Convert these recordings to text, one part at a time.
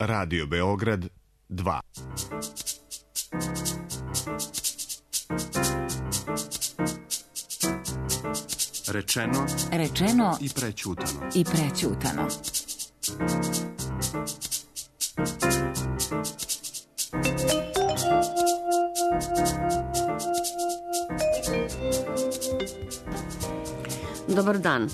Radio Beograd 2. Rečeno i prećutano. Dobar dan.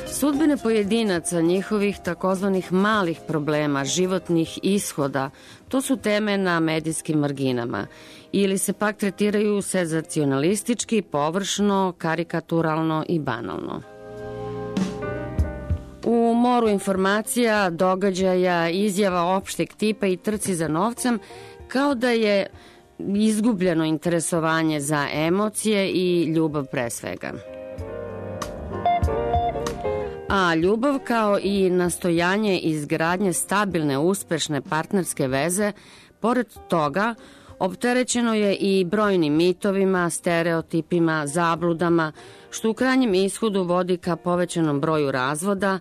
Sudbine pojedinaca, njihovih takozvanih malih problema, životnih ishoda, to su teme na medijskim marginama. Ili se pak tretiraju senzacionalistički, površno, karikaturalno i banalno. U moru informacija, događaja, izjava opšteg tipa i trci za novcem, kao da je izgubljeno interesovanje za emocije i ljubav pre svega. A ljubav kao i nastojanje izgradnje stabilne, uspešne partnerske veze, pored toga, opterećeno je i brojnim mitovima, stereotipima, zabludama, što u krajnjem ishodu vodi ka povećanom broju razvoda,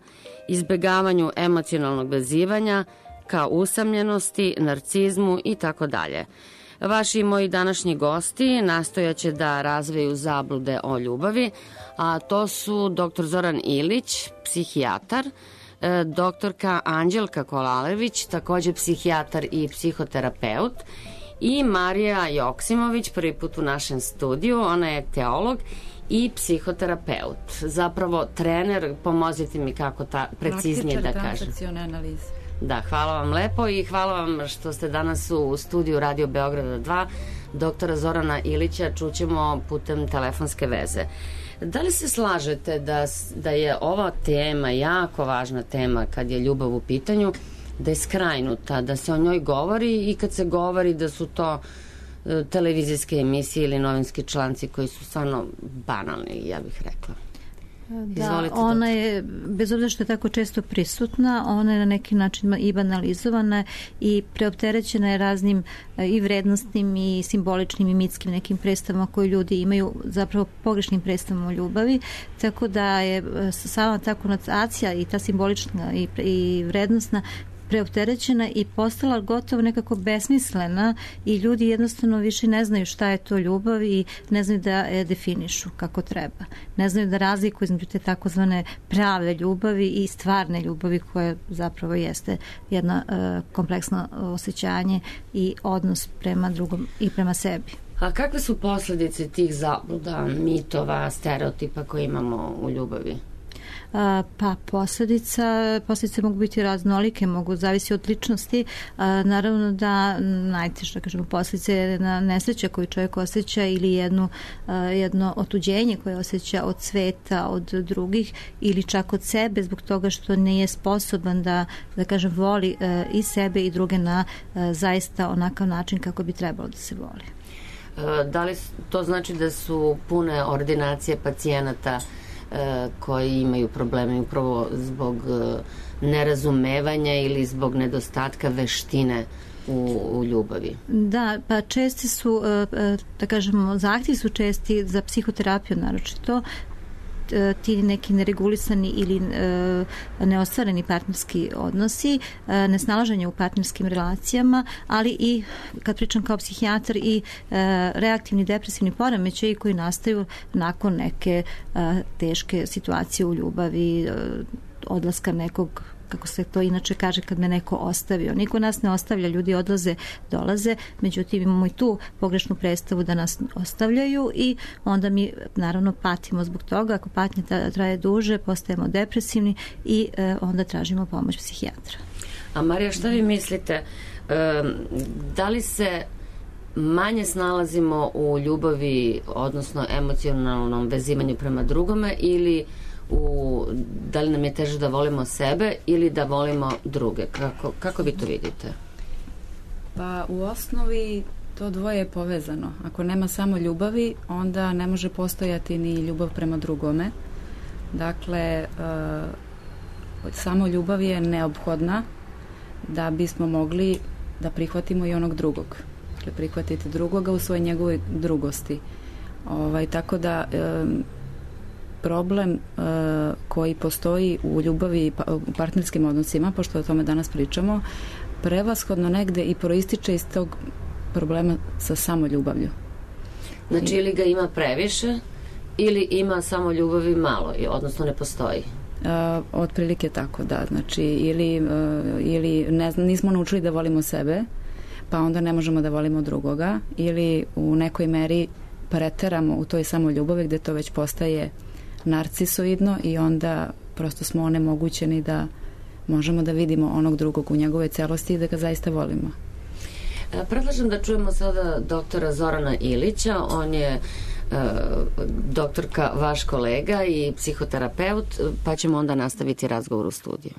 izbegavanju emocionalnog vezivanja, ka usamljenosti, narcizmu itd. Vaši i moji današnji gosti nastojaće da razveju zablude o ljubavi, a to su dr. Zoran Ilić, psihijatar, doktorka Anđelka Kolalević, takođe psihijatar i psihoterapeut, i Marija Joksimović, prvi put u našem studiju. Ona je teolog i psihoterapeut. Zapravo trener, pomozite mi kako preciznije da kažem. Praktičar transakcione analize. Da, hvala vam lepo i hvala vam što ste danas u studiju Radio Beograda 2. Doktora Zorana Ilića čućemo putem telefonske veze. Da li se slažete da je ova tema, jako važna tema kad je ljubav u pitanju, da je skrajnuta, da se o njoj govori i kad se govori da su to televizijske emisije ili novinski članci koji su stvarno banalni, ja bih rekla. Da, izvolite, ona je, bez obzira što je tako često prisutna, ona je na neki način i banalizovana i preopterećena je raznim i vrednostnim i simboličnim i mitskim nekim predstavama koje ljudi imaju, zapravo pogrešnim predstavama o ljubavi, tako da je sama ta konotacija i ta simbolična i vrednostna preopterećena i postala gotovo nekako besmislena i ljudi jednostavno više ne znaju šta je to ljubav i ne znaju da je definišu kako treba. Ne znaju da razlikuju između te takozvane prave ljubavi i stvarne ljubavi koja zapravo jeste jedno kompleksno osjećanje i odnos prema drugom i prema sebi. A kakve su posledice tih zabluda, mitova, stereotipa koje imamo u ljubavi? Pa posledice mogu biti raznolike, mogu zavisi od ličnosti. Naravno da najteže, kažemo, posledice na nesreće koju čovjek osjeća ili jedno otuđenje koje osjeća od sveta, od drugih ili čak od sebe zbog toga što nije sposoban da kažem, voli i sebe i druge na zaista onakav način kako bi trebalo da se voli. Da li to znači da su pune ordinacije pacijenata koji imaju probleme upravo zbog nerazumevanja ili zbog nedostatka veštine u ljubavi? Da, pa česti su, da kažemo, zahtjevi su česti za psihoterapiju naročito, ti neki neregulisani ili neostvareni partnerski odnosi, nesnalaženje u partnerskim relacijama, ali i, kad pričam kao psihijatar, i reaktivni depresivni poremećaji koji nastaju nakon neke teške situacije u ljubavi, odlaska nekog, kako se to inače kaže, kad me neko ostavio. Niko nas ne ostavlja, ljudi odlaze, dolaze, međutim imamo i tu pogrešnu predstavu da nas ostavljaju i onda mi naravno patimo zbog toga. Ako patnja traje duže, postajemo depresivni i onda tražimo pomoć psihijatra. A Marija, šta vi mislite, da li se manje snalazimo u ljubavi, odnosno emocionalnom vezivanju prema drugome, ili da li nam je teže da volimo sebe ili da volimo druge? Kako vi to vidite? Pa u osnovi to dvoje je povezano. Ako nema samo ljubavi, onda ne može postojati ni ljubav prema drugome. Dakle, samo ljubav je neophodna da bismo mogli da prihvatimo i onog drugog. Dakle, prihvatiti drugoga u svojoj njegovoj drugosti. Tako da problem koji postoji u ljubavi i u partnerskim odnosima, pošto o tome danas pričamo, prevashodno negde i proističe iz tog problema sa samoljubavlju. Znači, ili ga ima previše, ili ima samo ljubavi malo, odnosno ne postoji. Otprilike tako, da. Znači, ili ne znam, nismo naučili da volimo sebe, pa onda ne možemo da volimo drugoga, ili u nekoj meri preteramo u toj samoljubavi gde to već postaje narcisoidno i onda prosto smo onemogućeni da možemo da vidimo onog drugog u njegove celosti i da ga zaista volimo. Predlažem da čujemo sada doktora Zorana Ilića. On je doktorka, vaš kolega i psihoterapeut, pa ćemo onda nastaviti razgovor u studiju.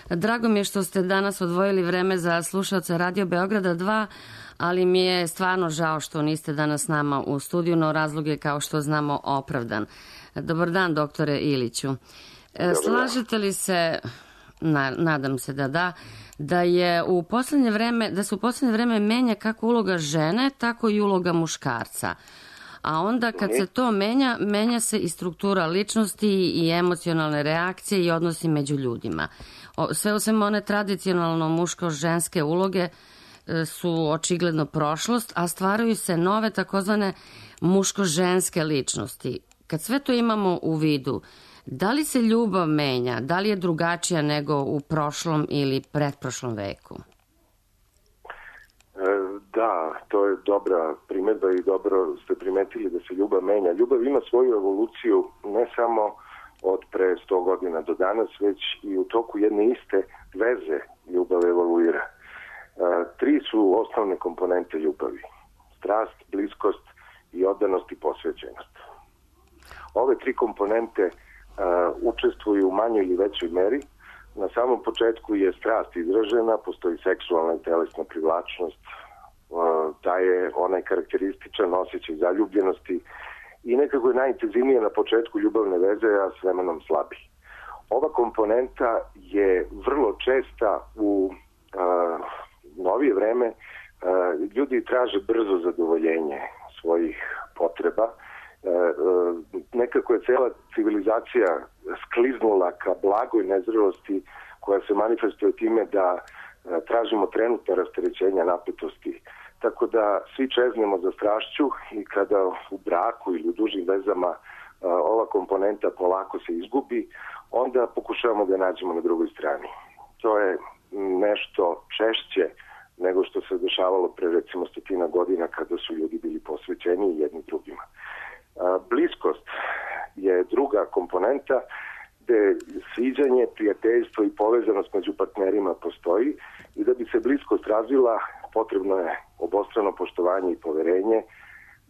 Drago mi je što ste danas odvojili vreme za slušaoce Radio Beograda 2, ali mi je stvarno žao što niste danas s nama u studiju, no razlog je, kao što znamo, opravdan. Dobar dan, doktore Iliću. Slažete li se, nadam se da se u poslednje vreme menja kako uloga žene, tako i uloga muškarca. A onda kad se to menja se i struktura ličnosti i emocionalne reakcije i odnosi među ljudima. Sve u svemu one tradicionalno muško-ženske uloge su očigledno prošlost, a stvaraju se nove takozvane muško-ženske ličnosti. Kad sve to imamo u vidu, da li se ljubav menja? Da li je drugačija nego u prošlom ili pretprošlom veku? Da, to je dobra primedba i dobro ste primetili da se ljubav menja. Ljubav ima svoju evoluciju ne samo od pre 100 godina do danas, već i u toku jedne iste veze ljubav evoluira. 3 su osnovne komponente ljubavi. Strast, bliskost i oddanost i posvećenost. Ove 3 komponente učestvuju u manjoj ili većoj meri. Na samom početku je strast izražena, postoji seksualna i telesna privlačnost, da je onaj karakterističan osjećaj zaljubljenosti i nekako je najintenzivnije na početku ljubavne veze, a s vremenom slabi. Ova komponenta je vrlo česta u novije vreme. Ljudi traže brzo zadovoljenje svojih potreba. Nekako je cela civilizacija skliznula ka blagoj nezrelosti koja se manifestuje time da tražimo trenutno rasterećenja napetosti. Tako da svi čeznemo za strašću i kada u braku ili u dužim vezama ova komponenta polako se izgubi, onda pokušavamo da nađemo na drugoj strani. To je nešto češće nego što se dešavalo pre recimo 100 godina kada su ljudi bili posvećeni jedni drugima. Bliskost je druga komponenta gde sviđanje, prijateljstvo i povezanost među partnerima postoji i da bi se bliskost razvila potrebno je obostrano poštovanje i poverenje,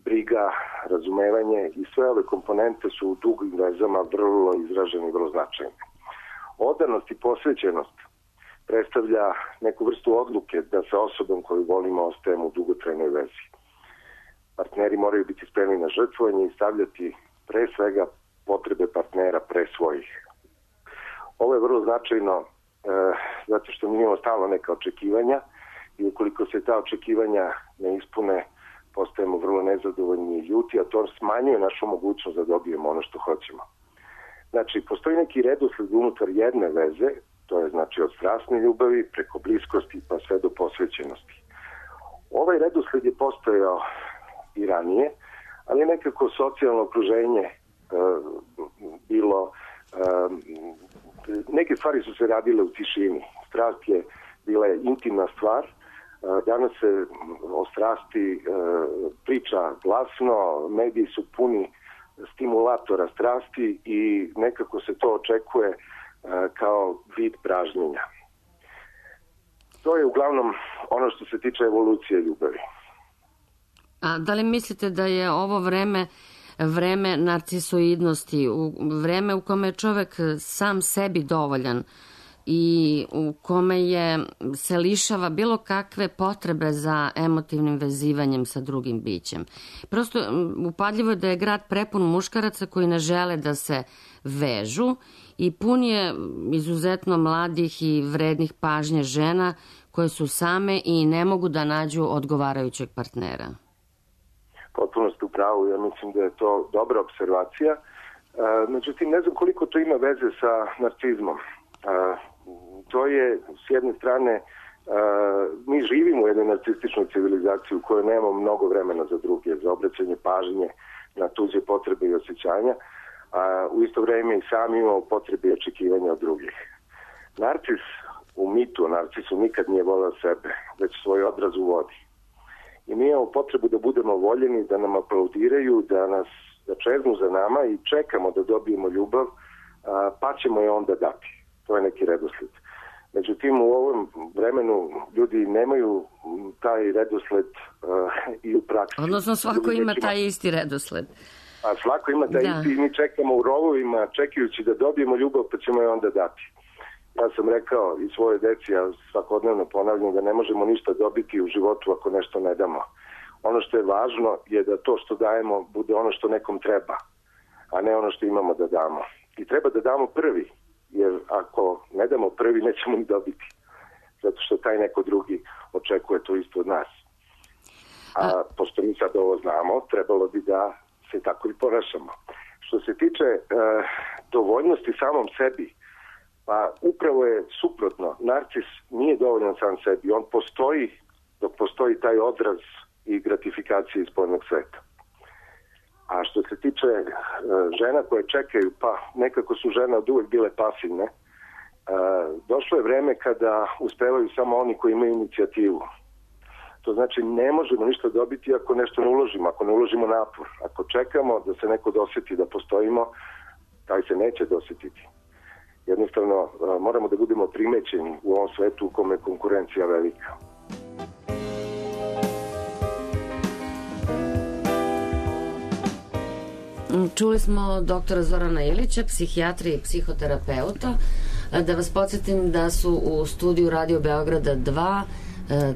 briga, razumevanje i sve ove komponente su u dugim vezama vrlo izražene i vrlo značajne. Odanost i posvećenost predstavlja neku vrstu odluke da sa osobom koju volimo ostajemo u dugotrajnoj vezi. Partneri moraju biti spremni na žrtvovanje i stavljati pre svega potrebe partnera pre svojih. Ovo je vrlo značajno zato što mi imamo stalno neka očekivanja i ukoliko se ta očekivanja ne ispune, postajemo vrlo nezadovoljni i ljuti, a to smanjuje našu mogućnost da dobijemo ono što hoćemo. Znači, postoji neki redosled unutar jedne veze, to je znači od strasne ljubavi preko bliskosti pa sve do posvećenosti. Ovaj redosled je postojao i ranije, ali nekako socijalno okruženje bilo, neke stvari su se radile u tišini. Strast je bila intimna stvar, danas se o strasti priča glasno, mediji su puni stimulatora strasti i nekako se to očekuje kao vid pražnjenja. To je uglavnom ono što se tiče evolucije ljubavi. A da li mislite da je ovo vreme narcisoidnosti, vreme u kome je čovek sam sebi dovoljan i u kome se lišava bilo kakve potrebe za emotivnim vezivanjem sa drugim bićem? Prosto upadljivo je da je grad prepun muškaraca koji ne žele da se vežu i pun je izuzetno mladih i vrednih pažnje žena koje su same i ne mogu da nađu odgovarajućeg partnera. Potpuno ste u pravu, ja mislim da je to dobra observacija. Međutim, ne znam koliko to ima veze sa narcizmom. To je s jedne strane Mi živimo u jednoj narcističnoj civilizaciji u kojoj nemamo mnogo vremena za druge, za obraćanje pažnje na tuđe potrebe i osjećanja, a u isto vreme i sami imamo potrebe i očekivanja od drugih. Narcis u mitu o narcisu nikad nije voleo sebe, već svoj odraz u vodi. I mi imamo potrebu da budemo voljeni, da nam aplaudiraju, da čeznu za nama i čekamo da dobijemo ljubav, pa ćemo je onda dati. To je neki redosled. Međutim, u ovom vremenu ljudi nemaju taj redosled i u praksi. Odnosno svako ima taj isti redosled. A svako ima taj isti i mi čekamo u rovovima, čekajući da dobijemo ljubav, pa ćemo je onda dati. Ja sam rekao i svoje deci, ja svakodnevno ponavljam da ne možemo ništa dobiti u životu ako nešto ne damo. Ono što je važno je da to što dajemo bude ono što nekom treba, a ne ono što imamo da damo. I treba da damo prvi, jer ako ne damo prvi nećemo ni dobiti. Zato što taj neko drugi očekuje to isto od nas. A pošto mi sad ovo znamo, trebalo bi da se tako i ponašamo. Što se tiče dovoljnosti samom sebi, pa upravo je suprotno. Narcis nije dovoljan sam sebi. On postoji dok postoji taj odraz i gratifikacije iz spoljnog sveta. A što se tiče žena koje čekaju, pa nekako su žene od uvek bile pasivne, došlo je vreme kada uspevaju samo oni koji imaju inicijativu. To znači ne možemo ništa dobiti ako nešto ne uložimo, ako ne uložimo napor. Ako čekamo da se neko doseti da postojimo, taj se neće dosetiti. Jednostavno moramo da budemo primećeni u ovom svetu u kome je konkurencija velika. Čuli smo doktora Zorana Ilića, psihijatra i psihoterapeuta. Da vas podsjetim da su u studiju Radio Beograda 2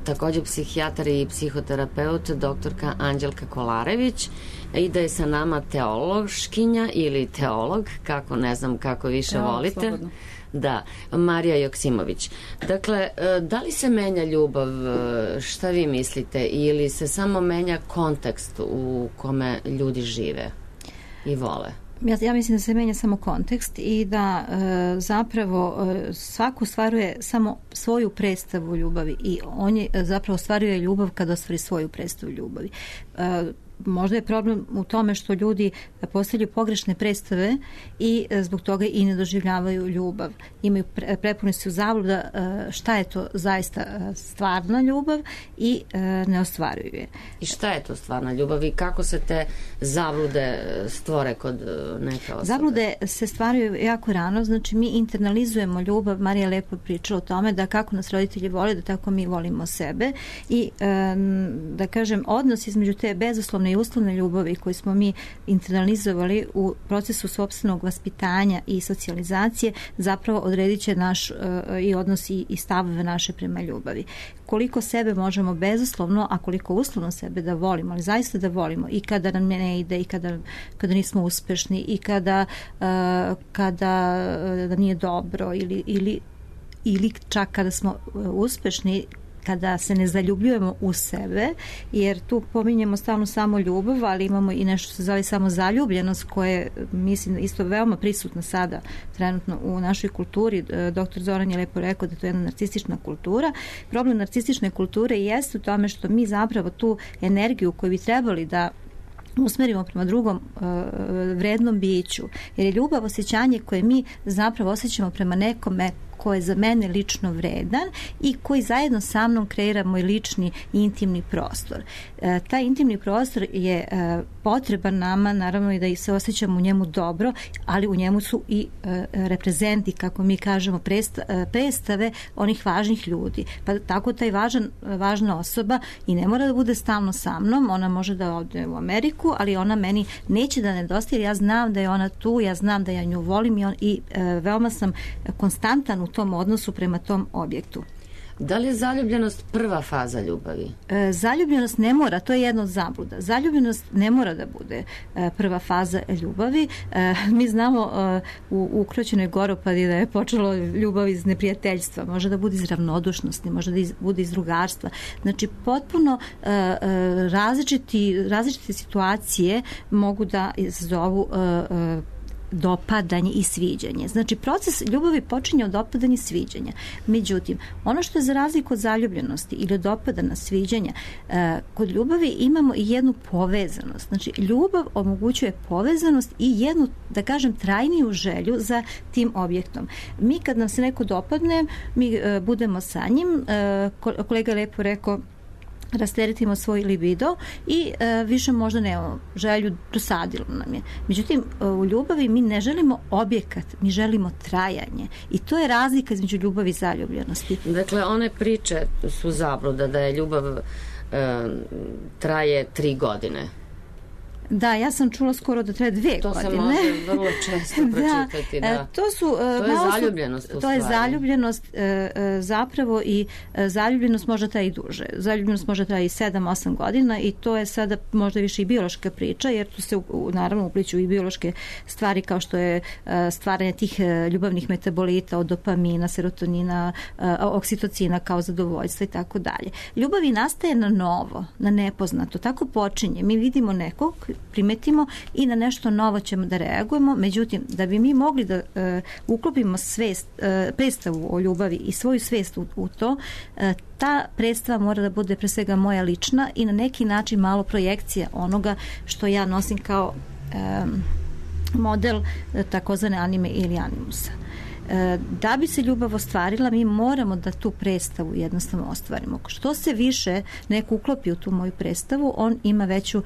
također psihijatar i psihoterapeut doktorka Anđelka Kolarević i da je sa nama teološkinja ili teolog, kako ne znam kako više volite. Slobodno. Da, Marija Joksimović. Dakle, da li se menja ljubav, šta vi mislite, ili se samo menja kontekst u kome ljudi žive i vole? Ja mislim da se menja samo kontekst i da zapravo svako ostvaruje samo svoju predstavu ljubavi i on je zapravo ostvaruje ljubav kada ostvari svoju predstavu ljubavi. Možda je problem u tome što ljudi postavljaju pogrešne predstave i zbog toga i ne doživljavaju ljubav. Imaju prepuni su zabluda šta je to zaista stvarna ljubav i ne ostvaruju je. I šta je to stvarna ljubav i kako se te zablude stvore kod neke osobe? Zablude se stvaraju jako rano, znači mi internalizujemo ljubav. Marija lepo pričala o tome da kako nas roditelji vole, da tako mi volimo sebe i da kažem odnos između te bezuslovne i uslovne ljubavi koje smo mi internalizovali u procesu sopstvenog vaspitanja i socijalizacije zapravo odredit će naš i odnos i stavove naše prema ljubavi. Koliko sebe možemo bezuslovno, a koliko uslovno sebe da volimo, ali zaista da volimo i kada nam ne ide i kada nismo uspešni i kada da nije dobro ili čak kada smo uspešni, kada se ne zaljubljujemo u sebe, jer tu pominjemo stalno samo ljubav, ali imamo i nešto se zove samo zaljubljenost, koje mislim isto veoma prisutno sada trenutno u našoj kulturi. Doktor Zoran je lepo rekao da to je jedna narcistična kultura. Problem narcistične kulture jeste u tome što mi zapravo tu energiju koju bi trebali da usmerimo prema drugom vrednom biću, jer je ljubav osjećanje koje mi zapravo osjećamo prema nekome ko je za mene lično vredan i koji zajedno sa mnom kreira moj lični intimni prostor. Taj intimni prostor je potreban nama, naravno i da se osjećamo u njemu dobro, ali u njemu su i reprezenti, kako mi kažemo, predstave onih važnih ljudi. Pa tako taj važna osoba i ne mora da bude stalno sa mnom, ona može da ode u Ameriku, ali ona meni neće da nedostaje, ja znam da je ona tu, ja znam da ja nju volim i veoma sam konstantan u tom odnosu prema tom objektu. Da li je zaljubljenost prva faza ljubavi? Zaljubljenost ne mora, to je jedna od zabluda. Zaljubljenost ne mora da bude prva faza ljubavi. Mi znamo u Ukroćenoj Goropadi da je počelo ljubav iz neprijateljstva, može da bude iz ravnodušnosti, može da bude iz drugarstva. Znači, potpuno različite situacije mogu da izazovu dopadanje i sviđanje. Znači, proces ljubavi počinje od dopadanja i sviđanja. Međutim, ono što je za razliku od zaljubljenosti ili od dopadanja sviđanja, kod ljubavi imamo i jednu povezanost. Znači, ljubav omogućuje povezanost i jednu, da kažem, trajniju želju za tim objektom. Mi kad nam se neko dopadne, mi budemo sa njim, kolega je lepo rekao, rasteretimo svoj libido i više možda nemamo želju, dosadilo nam je. Međutim, u ljubavi mi ne želimo objekat, mi želimo trajanje. I to je razlika između ljubavi i zaljubljenosti. Dakle, one priče su zabluda da je ljubav traje 3 godine. Da, ja sam čula skoro da traje 2 godine. To se može vrlo često pročitati. Da. To je zaljubljenost. To je zaljubljenost zapravo i zaljubljenost možda traje i duže. Zaljubljenost možda traje i 7-8 godina i to je sada možda više i biološka priča, jer tu se naravno upliću i biološke stvari kao što je stvaranje tih ljubavnih metabolita od dopamina, serotonina, oksitocina kao zadovoljstva i tako dalje. Ljubavi nastaje na novo, na nepoznato. Tako počinje. Mi vidimo nekog, primetimo i na nešto novo ćemo da reagujemo, međutim, da bi mi mogli da uklopimo predstavu o ljubavi i svoju svest u to, ta predstava mora da bude pre svega moja lična i na neki način malo projekcija onoga što ja nosim kao model takozvane anime ili animusa. Da bi se ljubav ostvarila, mi moramo da tu predstavu jednostavno ostvarimo. Što se više neko uklopi u tu moju predstavu, on ima veću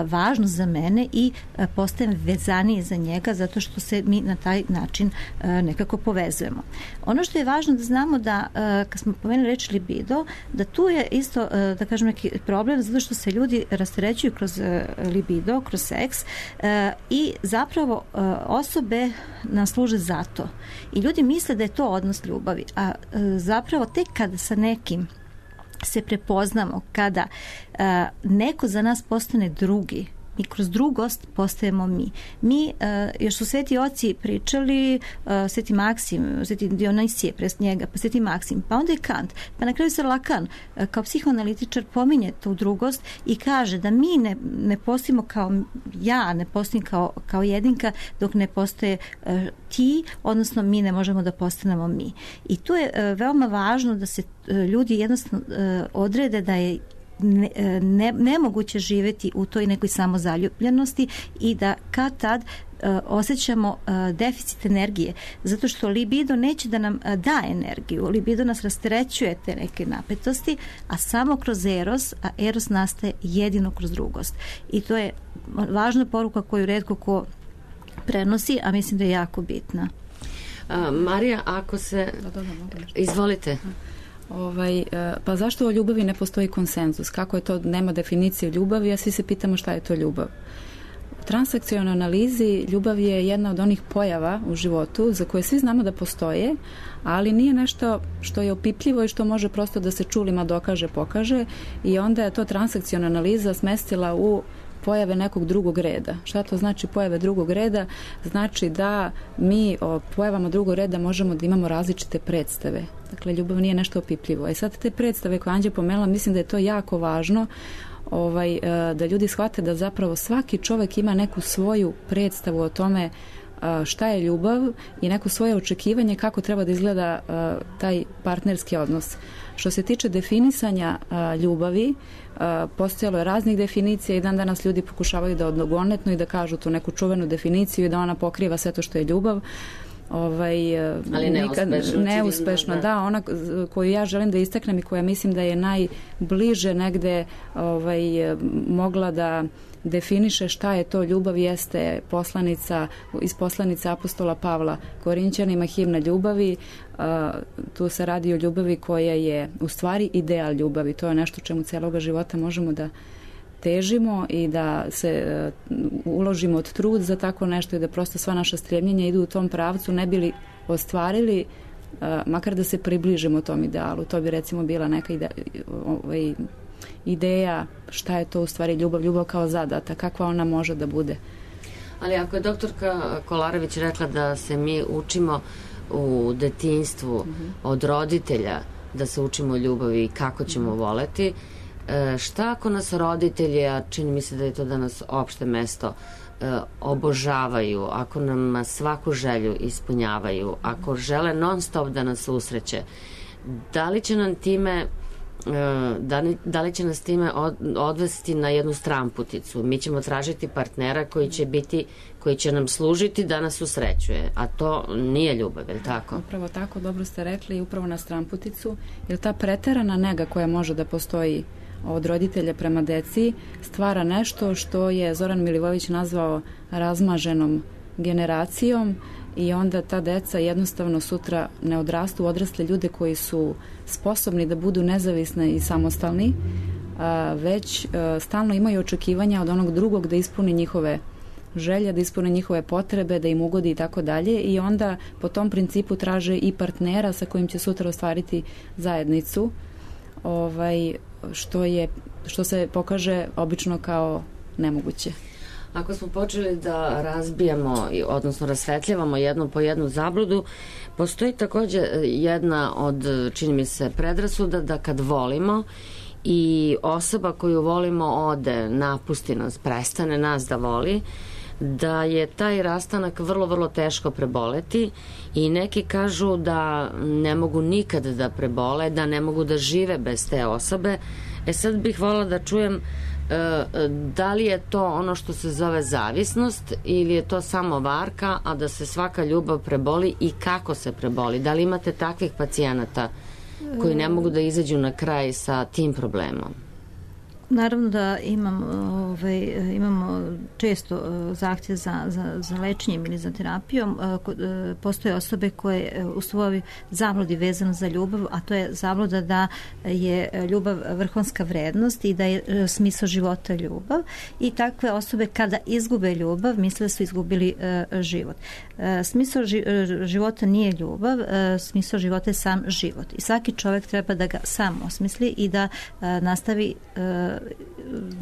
važnost za mene i postajem vezaniji za njega zato što se mi na taj način nekako povezujemo. Ono što je važno da znamo da, kad smo pomenuli reč libido, da tu je isto, da kažem, neki problem zato što se ljudi rasterećuju kroz libido, kroz seks i zapravo osobe nas služe za to. I ljudi misle da je to odnos ljubavi, a zapravo tek kada sa nekim se prepoznamo, kada neko za nas postane drugi, mi kroz drugost postajemo mi. Mi, još su sveti oci pričali, sveti Maksim, sveti Dionisije, pres njega, pa sveti Maksim, pa onda je Kant, pa na kraju se Lacan, kao psihoanalitičar, pominje tu drugost i kaže da mi ne postojimo kao ja, ne postojim kao jedinka, dok ne postoje ti, odnosno mi ne možemo da postanemo mi. I tu je veoma važno da se ljudi jednostavno odrede da je nemoguće živjeti u toj nekoj samozaljubljenosti i da kad tad osjećamo deficit energije, zato što libido neće da nam da energiju. Libido nas rasterećuje te neke napetosti, a samo kroz eros, a eros nastaje jedino kroz drugost. I to je važna poruka koju retko ko prenosi, a mislim da je jako bitna. Marija, ako se... Izvolite. Pa zašto o ljubavi ne postoji konsenzus? Kako je to, nema definicije ljubavi, a svi se pitamo šta je to ljubav. U transakcionalnoj analizi ljubav je jedna od onih pojava u životu za koje svi znamo da postoje, ali nije nešto što je opipljivo i što može prosto da se čulima dokaže, pokaže, i onda je to transakcionalna analiza smestila u pojave nekog drugog reda. Šta to znači pojave drugog reda? Znači da mi o pojavama drugog reda možemo da imamo različite predstave. Dakle, ljubav nije nešto opipljivo. I sad te predstave koje Anđe pomenula, mislim da je to jako važno, da ljudi shvate da zapravo svaki čovjek ima neku svoju predstavu o tome šta je ljubav i neko svoje očekivanje kako treba da izgleda taj partnerski odnos. Što se tiče definisanja ljubavi, postojalo je raznih definicija i dan danas ljudi pokušavaju da odgonetnu i da kažu tu neku čuvenu definiciju i da ona pokriva sve to što je ljubav. Ali neuspešno, da, ona koju ja želim da istaknem i koja mislim da je najbliže negde mogla da definiše šta je to ljubav, jeste iz poslanica apostola Pavla Korinćanima, himna ljubavi. Tu se radi o ljubavi koja je u stvari ideal ljubavi. To je nešto čemu celoga života možemo da težimo i da se uložimo od trud za tako nešto i da prosto sva naša stremljenja idu u tom pravcu, ne bili ostvarili, makar da se približimo tom idealu. To bi recimo bila neka ideja šta je to u stvari ljubav kao zadata, kakva ona može da bude. Ali ako je doktorka Kolarević rekla da se mi učimo u detinjstvu od roditelja, da se učimo ljubavi i kako ćemo voleti, Šta ako nas roditelji, a čini mi se da je to danas opšte mesto, obožavaju, ako nam svaku želju ispunjavaju, ako žele non stop da nas usreće, da li će nam time da li će nas time odvesti na jednu stramputicu? Mi ćemo tražiti partnera koji će nam služiti da nas usrećuje, a to nije ljubav, je li tako? Upravo tako, dobro ste rekli, upravo na stramputicu, jer ta preterana nega koja može da postoji od roditelja prema deci stvara nešto što je Zoran Milivojević nazvao razmaženom generacijom i onda ta deca jednostavno sutra ne odrastu u odrasle ljude koji su sposobni da budu nezavisni i samostalni, već stalno imaju očekivanja od onog drugog da ispuni njihove želje, da ispune njihove potrebe, da im ugodi i tako dalje, i onda po tom principu traže i partnera sa kojim će sutra ostvariti zajednicu, što se pokaže obično kao nemoguće. Ako smo počeli da razbijamo, odnosno rasvetljavamo jednu po jednu zabludu, postoji takođe jedna od, čini mi se, predrasuda da kad volimo i osoba koju volimo ode, napusti nas, prestane nas da voli, da je taj rastanak vrlo, vrlo teško preboleti i neki kažu da ne mogu nikad da prebole, da ne mogu da žive bez te osobe. Sad bih voljela da čujem da li je to ono što se zove zavisnost ili je to samo varka, a da se svaka ljubav preboli i kako se preboli? Da li imate takvih pacijenata koji ne mogu da izađu na kraj sa tim problemom? Naravno da imamo često zahtjev za lečenjem ili za terapijom. Postoje osobe koje u svojoj zabludi vezano za ljubav, a to je zabluda da je ljubav vrhunska vrednost i da je smisao života ljubav, i takve osobe kada izgube ljubav misle da su izgubili život. Smisao života nije ljubav, smisao života je sam život i svaki čovjek treba da ga sam osmisli i da nastavi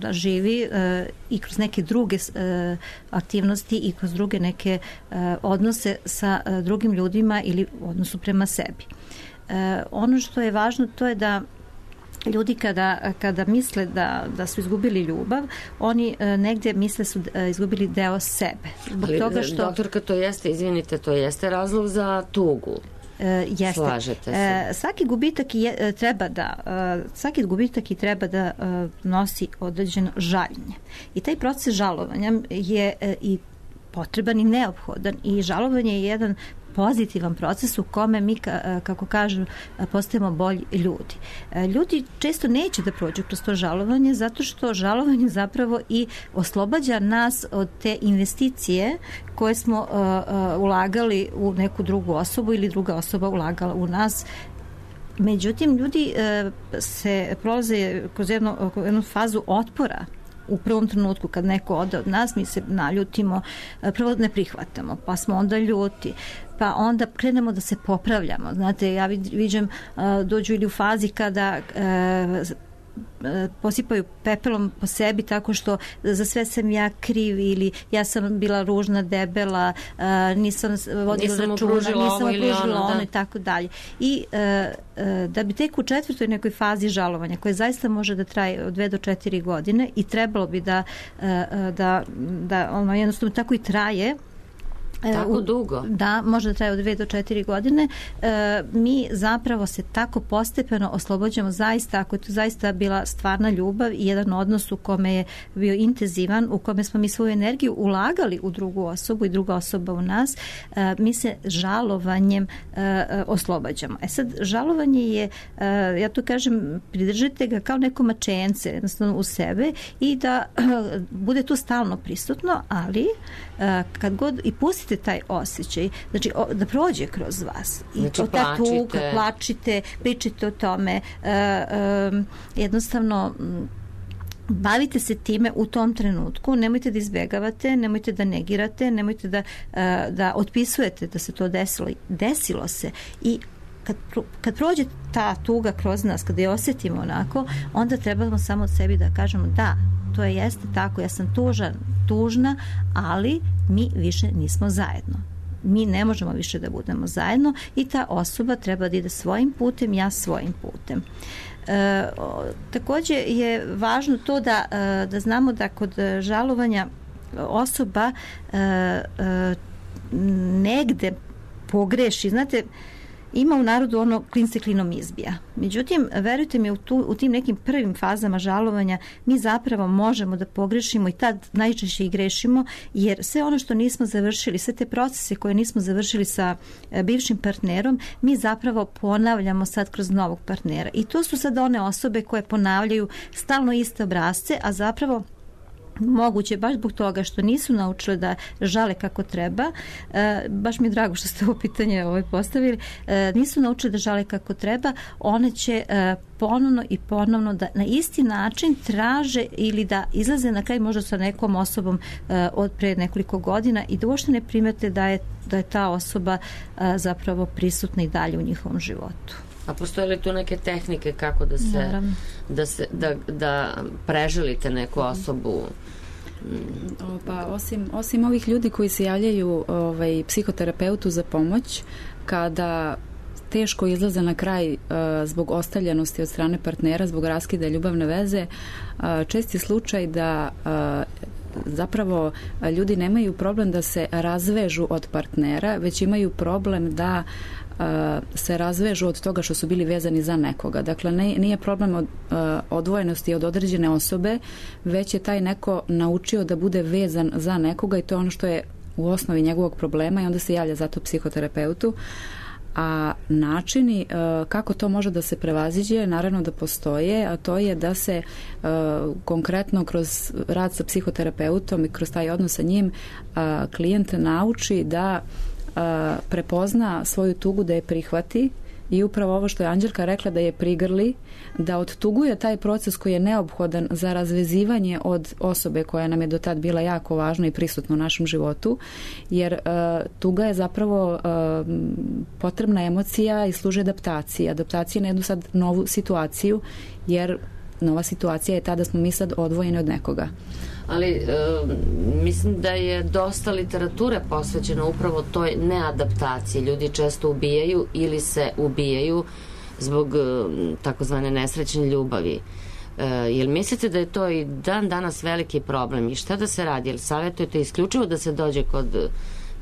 da živi i kroz neke druge aktivnosti i kroz druge neke odnose sa drugim ljudima ili odnosu prema sebi. Ono što je važno to je da ljudi kada misle da su izgubili ljubav, oni negdje misle su izgubili deo sebe. Ali, toga što... doktorka, to jeste, izvinite, to jeste razlog za tugu. Jeste. Slažete se. Svaki gubitak treba da nosi određeno žaljenje. I taj proces žalovanja je i potreban i neophodan, i žalovanje je jedan pozitivan proces u kome mi, kako kažu, postajemo bolji ljudi. Ljudi često neće da prođu kroz to žalovanje, zato što žalovanje zapravo i oslobađa nas od te investicije koje smo ulagali u neku drugu osobu ili druga osoba ulagala u nas. Međutim, ljudi se prolaze kroz jednu fazu otpora. U prvom trenutku kad neko ode od nas, mi se naljutimo, prvo ne prihvatamo, pa smo onda ljuti, pa onda krenemo da se popravljamo. Znate, ja viđem, dođu ili u fazi kada posipaju pepelom po sebi tako što za sve sam ja kriv, ili ja sam bila ružna, debela, nisam vodila računa, nisam opružila ono i tako dalje. I da bi tek u četvrtoj nekoj fazi žalovanja, koja zaista može da traje od 2 do 4 godine i trebalo bi da ono jednostavno tako i traje, tako dugo? Da, može da traje od 2 do 4 godine. Mi zapravo se tako postepeno oslobođamo zaista, ako je to zaista bila stvarna ljubav i jedan odnos u kome je bio intenzivan, u kome smo mi svoju energiju ulagali u drugu osobu i druga osoba u nas, mi se žalovanjem oslobađamo. Sad, žalovanje je, ja to kažem, pridržite ga kao neko mačence jednostavno u sebe i da bude tu stalno prisutno, ali kad god i pustite taj osjećaj, znači da prođe kroz vas. I znači, ta tuga, plačite, pričite o tome, jednostavno bavite se time u tom trenutku, nemojte da izbjegavate, nemojte da negirate, nemojte da otpisujete da se to desilo. Desilo se i kad prođe ta tuga kroz nas, kada je osjetimo onako, onda trebamo samo od sebi da kažemo da, to jeste tako, ja sam tužna, ali mi više nismo zajedno. Mi ne možemo više da budemo zajedno i ta osoba treba da ide svojim putem, ja svojim putem. Takođe je važno to da znamo da kod žalovanja osoba negde pogreši. Znate, ima u narodu ono klin se klinom izbija. Međutim, verujte mi, u tim nekim prvim fazama žalovanja mi zapravo možemo da pogrešimo i tad najčešće i grešimo, jer sve ono što nismo završili, sve te procese koje nismo završili sa bivšim partnerom, mi zapravo ponavljamo sad kroz novog partnera. I to su sad one osobe koje ponavljaju stalno iste obrasce, a zapravo moguće, baš zbog toga što nisu naučile da žale kako treba, baš mi je drago što ste ovo pitanje postavili, nisu naučile da žale kako treba, one će ponovno i ponovno da na isti način traže ili da izlaze na kraj možda sa nekom osobom od pre nekoliko godina i da uopšte ne primete da je ta osoba zapravo prisutna i dalje u njihovom životu. A postoje li tu neke tehnike kako da preželite neku osobu? Pa osim ovih ljudi koji se javljaju psihoterapeutu za pomoć kada teško izlaze na kraj zbog ostavljenosti od strane partnera, zbog raskida ljubavne veze, čest je slučaj da zapravo ljudi nemaju problem da se razvežu od partnera, već imaju problem da se razvežu od toga što su bili vezani za nekoga. Dakle, nije problem od odvojenosti od određene osobe, već je taj neko naučio da bude vezan za nekoga i to je ono što je u osnovi njegovog problema i onda se javlja zato psihoterapeutu. A načini kako to može da se prevaziđe, naravno da postoje, a to je da se konkretno kroz rad sa psihoterapeutom i kroz taj odnos sa njim klijent nauči da prepozna svoju tugu, da je prihvati i upravo ovo što je Anđelka rekla, da je prigrli, da odtuguje taj proces koji je neophodan za razvezivanje od osobe koja nam je do tad bila jako važna i prisutna u našem životu, jer tuga je zapravo potrebna emocija i služi adaptaciji. Adaptacija na jednu sad novu situaciju, jer nova situacija je ta da smo mi sad odvojeni od nekoga. Ali mislim da je dosta literature posvećeno upravo toj neadaptaciji. Ljudi često ubijaju ili se ubijaju zbog takozvane nesrećne ljubavi. Jel mislite da je to i dan danas veliki problem i šta da se radi? Jel savjetujete isključivo da se dođe kod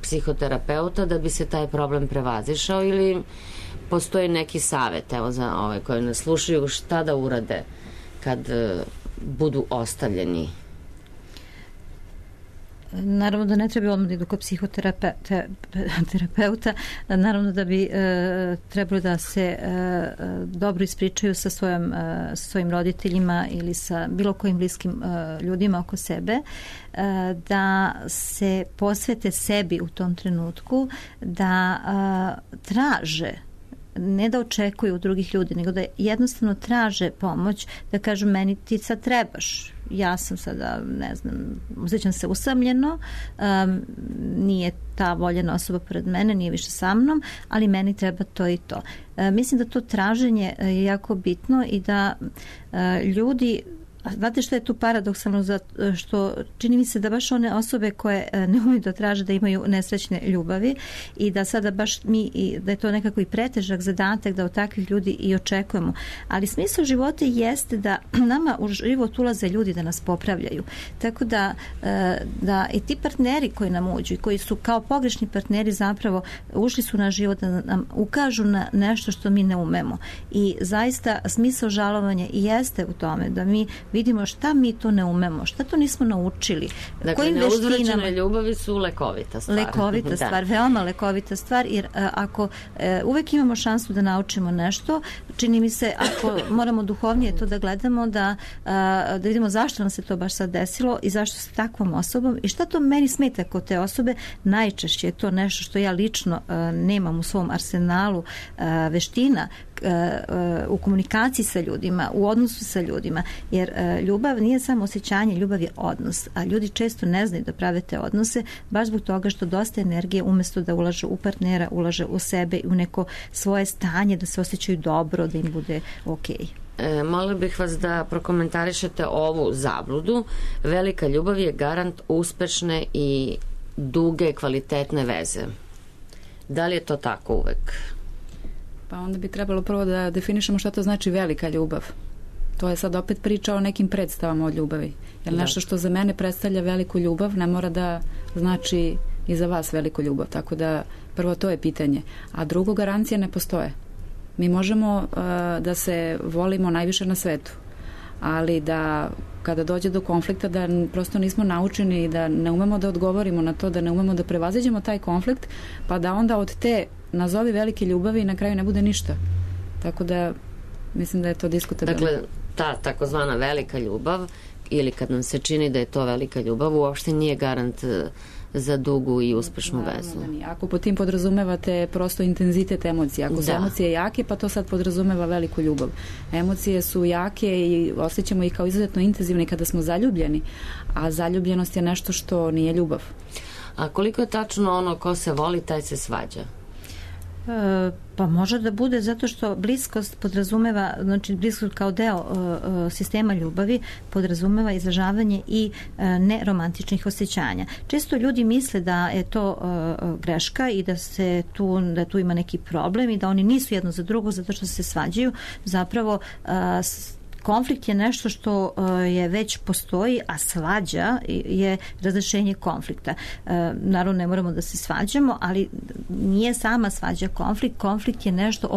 psihoterapeuta da bi se taj problem prevazišao ili postoji neki savjet, evo za ove koje nas slušaju, šta da urade kad budu ostavljeni? Naravno da ne treba odmah da idu kod psihoterapeuta, naravno da bi trebalo da se dobro ispričaju sa svojim roditeljima ili sa bilo kojim bliskim ljudima oko sebe, da se posvete sebi u tom trenutku, da traže, ne da očekuju od drugih ljudi, nego da jednostavno traže pomoć, da kažu meni ti sad trebaš, ja sam sada, ne znam, osjećam se usamljeno, nije ta voljena osoba pored mene, nije više sa mnom, ali meni treba to i to. Mislim da to traženje je jako bitno i da ljudi, znate što je tu paradoksalno, što čini mi se da baš one osobe koje ne umeju da traže da imaju nesrećne ljubavi i da sada baš da je to nekako i pretežak zadatak da od takvih ljudi i očekujemo. Ali smisao života jeste da nama u život ulaze ljudi da nas popravljaju. Tako da i ti partneri koji nam uđu i koji su kao pogrešni partneri zapravo ušli su na život da nam ukažu na nešto što mi ne umemo. I zaista smisao žalovanja i jeste u tome da mi vidimo šta mi to ne umemo, šta to nismo naučili. Dakle, neuzvraćene ljubavi su lekovita stvar. Lekovita stvar, veoma lekovita stvar, jer ako uvek imamo šansu da naučimo nešto, čini mi se, ako moramo duhovnije to da gledamo, da vidimo zašto nam se to baš sad desilo i zašto sa takvom osobom i šta to meni smeta kod te osobe, najčešće je to nešto što ja lično nemam u svom arsenalu veština u komunikaciji sa ljudima, u odnosu sa ljudima, jer ljubav nije samo osjećanje, ljubav je odnos, a ljudi često ne znaju da prave te odnose, baš zbog toga što dosta energije umesto da ulažu u partnera, ulaže u sebe i u neko svoje stanje, da se osjećaju dobro, da im bude okej. Molila bih vas da prokomentarišete ovu zabludu. Velika ljubav je garant uspešne i duge, kvalitetne veze. Da li je to tako uvek? Pa onda bi trebalo prvo da definišemo šta to znači velika ljubav. To je sad opet priča o nekim predstavama o ljubavi. Jer nešto što za mene predstavlja veliku ljubav ne mora da znači i za vas veliku ljubav. Tako da prvo to je pitanje. A drugo, garancije ne postoje. Mi možemo da se volimo najviše na svetu, ali da kada dođe do konflikta da prosto nismo naučeni, da ne umemo da odgovorimo na to, da ne umemo da prevaziđemo taj konflikt, pa da onda od te nazovi velike ljubavi na kraju ne bude ništa. Tako da mislim da je to diskutabilno. Dakle, ta takozvana velika ljubav, ili kad nam se čini da je to velika ljubav, uopšte nije garant za dugu i uspešnu vezu. Ako po tim podrazumevate prosto intenzitet emocije, ako su emocije jake, pa to sad podrazumeva veliku ljubav. Emocije su jake i osjećamo ih kao izuzetno intenzivne kada smo zaljubljeni, a zaljubljenost je nešto što nije ljubav. A koliko je tačno ono ko se voli, taj se svađa? Pa može da bude zato što bliskost podrazumeva, znači bliskost kao deo sistema ljubavi podrazumeva izražavanje i neromantičnih osjećanja. Često ljudi misle da je to greška i da tu ima neki problem i da oni nisu jedno za drugo zato što se svađaju. Zapravo konflikt je nešto što je već postoji, a svađa je razrešenje konflikta. Naravno, ne moramo da se svađamo, ali nije sama svađa konflikt. Konflikt je nešto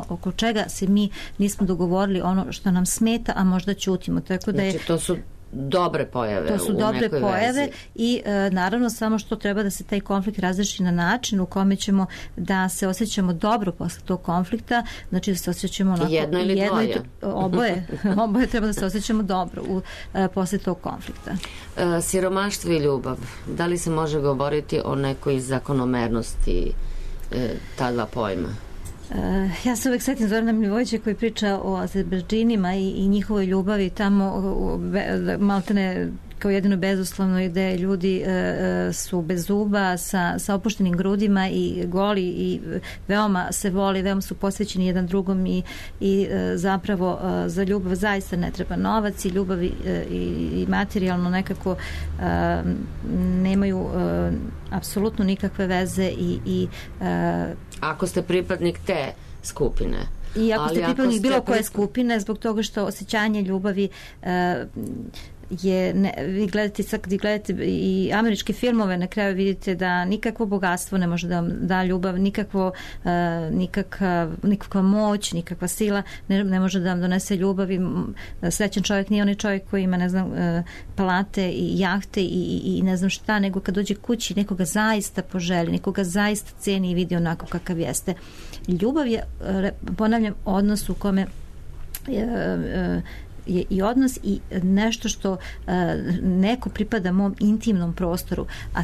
oko čega se mi nismo dogovorili, ono što nam smeta, a možda ćutimo. Tako da je, znači, to su dobre pojave. To su dobre pojave i naravno samo što treba da se taj konflikt razreši na način u kome ćemo da se osjećamo dobro posle tog konflikta, znači da se osjećamo onako, jedno ili dvoje. Oboje treba da se osjećamo dobro posle tog konflikta. Siromaštvo i ljubav. Da li se može govoriti o nekoj zakonomernosti ta dva pojma? Ja se uvek setim Zorana Milivojevića koji priča o Azerbejdžinima i njihovoj ljubavi tamo maltene kao jedino bezuslovno, gde ljudi su bez zuba, sa opuštenim grudima i goli i veoma se voli, veoma su posvećeni jedan drugom i zapravo za ljubav zaista ne treba novac i ljubav i materijalno nekako nemaju apsolutno nikakve veze i ako ste pripadnik te skupine. I ako ste pripadnik bilo koje skupine, zbog toga što osjećanje ljubavi vi gledate i američke filmove, na kraju vidite da nikakvo bogatstvo ne može da vam da ljubav, nikakva moć, nikakva sila ne može da vam donese ljubav i srećan čovjek nije onaj čovjek koji ima, ne znam, palate i jahte i ne znam šta, nego kad dođe kući nekoga zaista poželi, nekoga zaista ceni i vidi onako kakav jeste. Ljubav je, ponavljam, odnos u kome je i odnos i nešto što neko pripada mom intimnom prostoru, a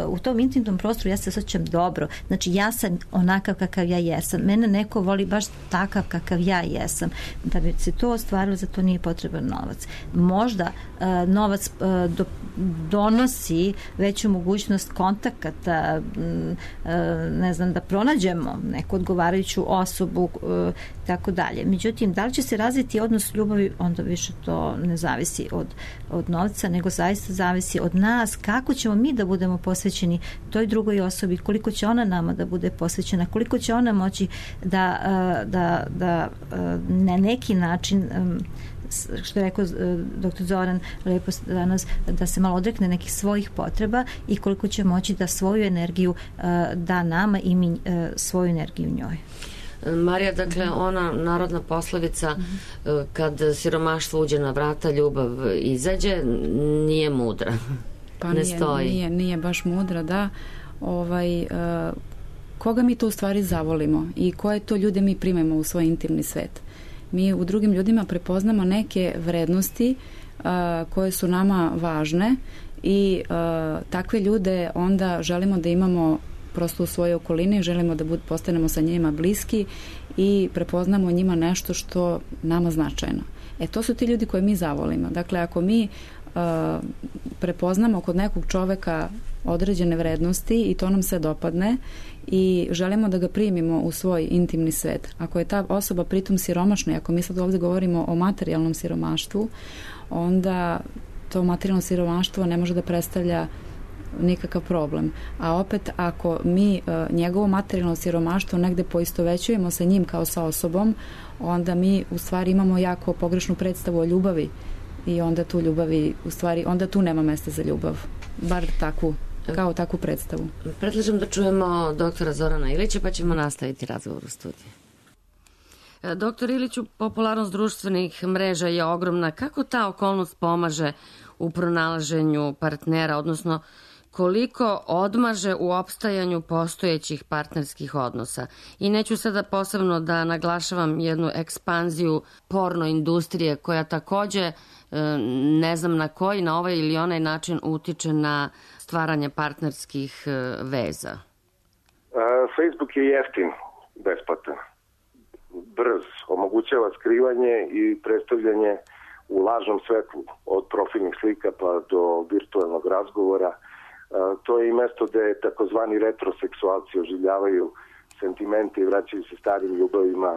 u tom intimnom prostoru ja se osjećam dobro, znači ja sam onakav kakav ja jesam, mene neko voli baš takav kakav ja jesam. Da bi se to ostvarilo, za to nije potreban novac. Možda novac donosi veću mogućnost kontakata, ne znam, da pronađemo neku odgovarajuću osobu, tako dalje. Međutim, da li će se razviti odnos ljubavi, onda više to ne zavisi od novca, nego zaista zavisi od nas, kako ćemo mi da budemo posvećeni toj drugoj osobi, koliko će ona nama da bude posvećena, koliko će ona moći da na neki način, što je rekao dr. Zoran lepo danas, da se malo odrekne nekih svojih potreba i koliko će moći da svoju energiju da nama i mi svoju energiju njoj. Marija, dakle, ona narodna poslovica kad siromaštvo uđe na vrata, ljubav izađe, nije mudra. Pa ne stoji. Nije baš mudra, da. Koga mi to u stvari zavolimo i koje to ljude mi primemo u svoj intimni svet? Mi u drugim ljudima prepoznamo neke vrednosti koje su nama važne i takve ljude onda želimo da imamo prosto u svojoj okolini, želimo da postanemo sa njima bliski i prepoznamo njima nešto što nama značajno. To su ti ljudi koje mi zavolimo. Dakle, ako mi prepoznamo kod nekog čoveka određene vrednosti i to nam se dopadne i želimo da ga primimo u svoj intimni svet. Ako je ta osoba pritom siromašna i ako mi sad ovdje govorimo o materijalnom siromaštvu, onda to materijalno siromaštvo ne može da predstavlja nikakav problem. A opet, ako mi njegovo materijalno siromaštvo negde poistovećujemo sa njim kao sa osobom, onda mi u stvari imamo jako pogrešnu predstavu o ljubavi i onda tu ljubavi, u stvari, onda tu nema mesta za ljubav. Bar kao takvu predstavu. Predlažem da čujemo doktora Zorana Ilića, pa ćemo nastaviti razgovor u studiju. Doktor Iliću, popularnost društvenih mreža je ogromna. Kako ta okolnost pomaže u pronalaženju partnera, odnosno koliko odmaže u opstajanju postojećih partnerskih odnosa? I neću sada posebno da naglašavam jednu ekspanziju porno industrije koja takođe, ne znam na koji, na ovaj ili onaj način utiče na stvaranje partnerskih veza. Facebook je jeftin, besplatan, brz, omogućava skrivanje i predstavljanje u lažnom svetlu, od profilnih slika pa do virtualnog razgovora. To je i mesto gde takozvani retroseksualci oživljavaju sentimente i vraćaju se starim ljubavima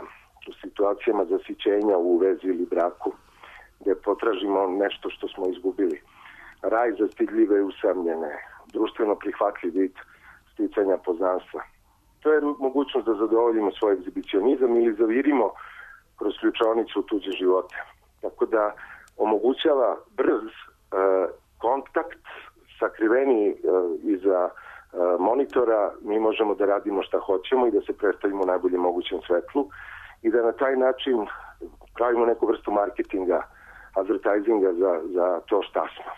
u situacijama zasićenja u vezi ili braku, gde potražimo nešto što smo izgubili. Raj za stidljive i usamljene, društveno prihvatljiv vid sticanja poznanstva. To je mogućnost da zadovoljimo svoj egzibicionizam ili zavirimo kroz ključavnicu u tuđe živote. Tako da omogućava brz kontakt, sakriveni iza monitora, mi možemo da radimo šta hoćemo i da se predstavimo u najboljem mogućem svetlu i da na taj način pravimo neku vrstu marketinga, advertisinga za to šta smo.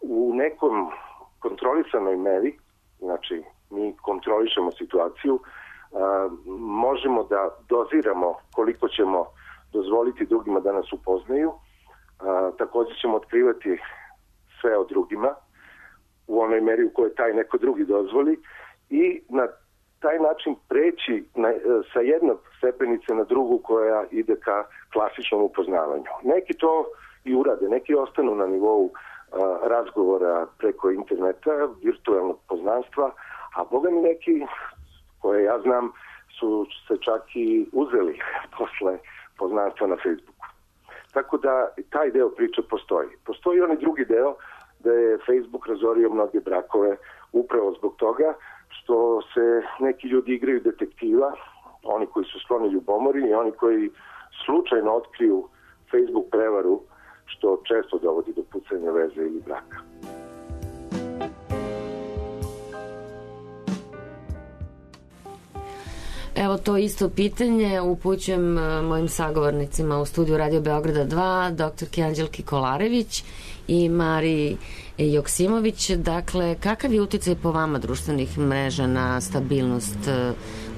U nekom kontrolisanoj meri, znači mi kontrolišemo situaciju, možemo da doziramo koliko ćemo dozvoliti drugima da nas upoznaju, također ćemo otkrivati sve o drugima u onoj meri u kojoj taj neko drugi dozvoli i na taj način preći sa jednog stepenice na drugu koja ide ka klasičnom upoznavanju. Neki to i urade, neki ostanu na nivou razgovora preko interneta, virtualnog poznanstva, a boga mi neki, koje ja znam, su se čak i uzeli posle poznanstva na Facebooku. Tako da taj deo priče postoji. Postoji onaj drugi deo da je Facebook razorio mnoge brakove upravo zbog toga što se neki ljudi igraju detektiva, oni koji su skloni ljubomori i oni koji slučajno otkriju Facebook prevaru, što često dovodi do pucanja veze ili braka. Evo to isto pitanje upućujem mojim sagovornicima u studiju Radio Beograda 2, doktorki Anđelki Kolarević i Mariji Joksimović. Dakle, kakav je uticaj po vama društvenih mreža na stabilnost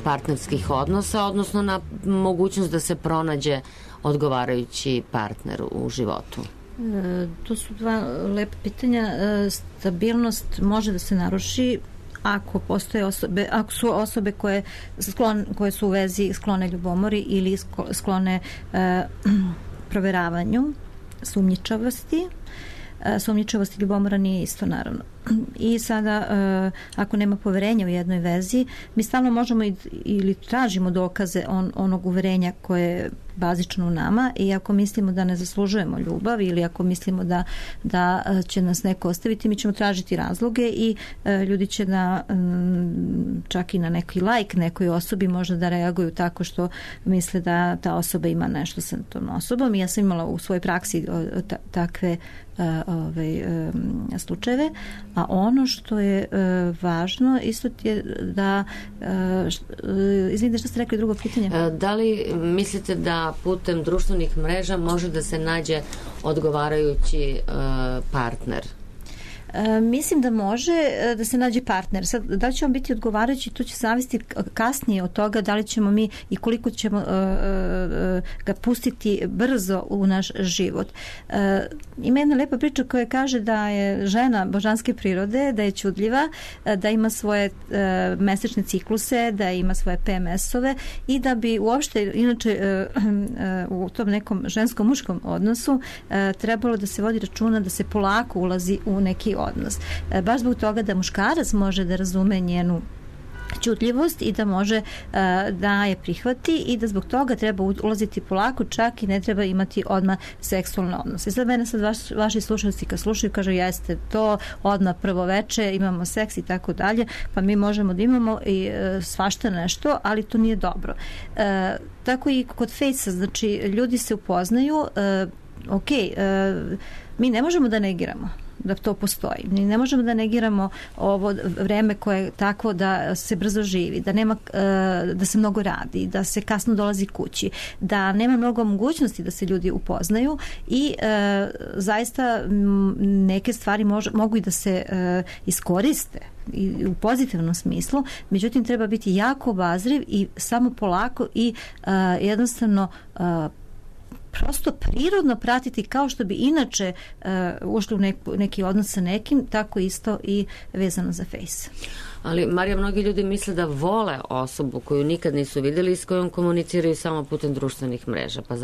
partnerskih odnosa, odnosno na mogućnost da se pronađe odgovarajući partner u životu? To su dva lepa pitanja. Stabilnost može da se naruši ako postoje osobe, ako su osobe koje su u vezi sklone ljubomori ili sklone proveravanju, sumnjičavosti. Sumnjičavost i ljubomora nije isto, naravno. I sada, ako nema poverenja u jednoj vezi, mi stalno možemo ili tražimo dokaze onog uverenja koje je bazično u nama i ako mislimo da ne zaslužujemo ljubav ili ako mislimo da će nas neko ostaviti, mi ćemo tražiti razloge i ljudi će čak i na neki like nekoj osobi možda da reaguju tako što misle da ta osoba ima nešto sa tom osobom. I ja sam imala u svojoj praksi takve slučajeve, a ono što je važno isto je da izvinite, što ste rekli drugo pitanje? Da li mislite da putem društvenih mreža može da se nađe odgovarajući partner? Mislim da može da se nađe partner. Sad, da li će on biti odgovarajući, to će zavisiti kasnije od toga da li ćemo mi i koliko ćemo ga pustiti brzo u naš život. Ima jedna lepa priča koja kaže da je žena božanske prirode, da je čudljiva, da ima svoje mesečne cikluse, da ima svoje PMS-ove i da bi uopšte, inače u tom nekom ženskom-muškom odnosu trebalo da se vodi računa da se polako ulazi u neki odnos. Baš zbog toga da muškarac može da razume njenu ćutljivost i da može da je prihvati i da zbog toga treba ulaziti polako, čak i ne treba imati odmah seksualne odnose. Sad mene vaši slušalci kad slušaju kažu jeste to odmah prvo veče, imamo seks i tako dalje, pa mi možemo da imamo i svašta nešto, ali to nije dobro. Tako i kod fejsa, znači ljudi se upoznaju, mi ne možemo da negiramo da to postoji. Mi ne možemo da negiramo ovo vreme koje je tako da se brzo živi, da nema, da se mnogo radi, da se kasno dolazi kući, da nema mnogo mogućnosti da se ljudi upoznaju i zaista neke stvari mogu i da se iskoriste i u pozitivnom smislu, međutim treba biti jako obazriv i samo polako i jednostavno prosto prirodno pratiti kao što bi inače ušli u neki odnos sa nekim, tako isto i vezano za Face. Ali, Marija, mnogi ljudi misle da vole osobu koju nikad nisu vidjeli i s kojom komuniciraju samo putem društvenih mreža. Pa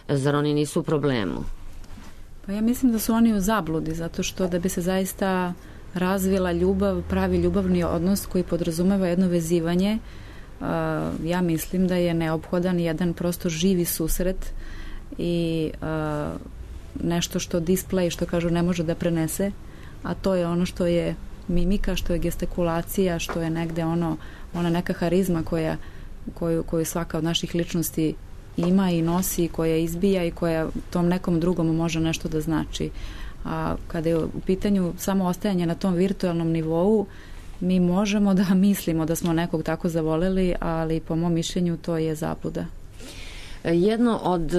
zar oni nisu u problemu? Pa ja mislim da su oni u zabludi, zato što da bi se zaista razvila ljubav, pravi ljubavni odnos koji podrazumeva jedno vezivanje, ja mislim da je neophodan jedan prosto živi susret i nešto što display, što kažu, ne može da prenese, a to je ono što je mimika, što je gestikulacija, što je negde ona neka harizma koju svaka od naših ličnosti ima i nosi, koja izbija i koja tom nekom drugom može nešto da znači. A kada je u pitanju samo ostajanje na tom virtualnom nivou, mi možemo da mislimo da smo nekog tako zavoleli, ali po mom mišljenju to je zabluda. Jedno od